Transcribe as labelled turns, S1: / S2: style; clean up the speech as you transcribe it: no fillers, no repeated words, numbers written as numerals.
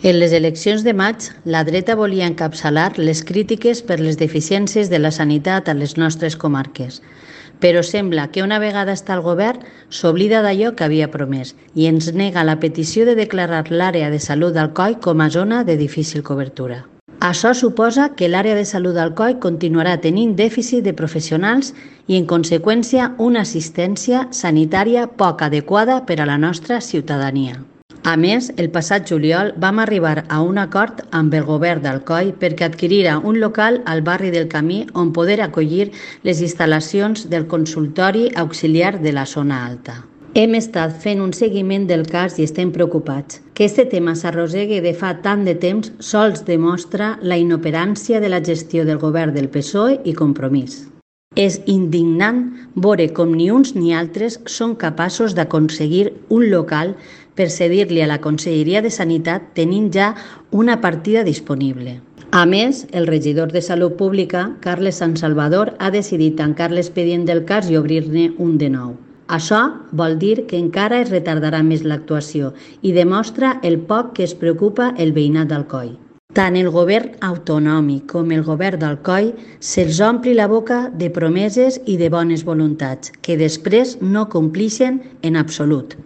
S1: En les eleccions de maig, la dreta volia encapçalar les crítiques per les deficiències de la sanitat a les nostres comarques. Però sembla que una vegada està al govern s'oblida d'allò que havia promès i ens nega la petició de declarar l'àrea de salut d'Alcoi com a zona de difícil cobertura. Això suposa que l'àrea de salut d'Alcoi continuarà tenint dèficit de professionals i, en conseqüència, una assistència sanitària poc adequada per a la nostra ciutadania. A més, el passat juliol vam arribar a un acord amb el govern d'Alcoi perquè adquirira un local al barri del Camí on poder acollir les instal·lacions del consultori auxiliar de la zona alta. Hem estat fent un seguiment del cas i estem preocupats. Que aquest tema s'arrossegui de fa tant de temps sols demostra la inoperància de la gestió del govern del PSOE i Compromís. És indignant veure com ni uns ni altres són capaços d'aconseguir un local per cedir-li a la Conselleria de Sanitat tenint ja una partida disponible. A més, el regidor de Salut Pública, Carles Sansalvador, ha decidit tancar l'expedient del cas i obrir-ne un de nou. Això vol dir que encara es retardarà més l'actuació i demostra el poc que es preocupa el veïnat d'Alcoi. Tant el govern autonòmic com el govern d'Alcoi se'ls ompli la boca de promeses i de bones voluntats que després no complixen en absolut.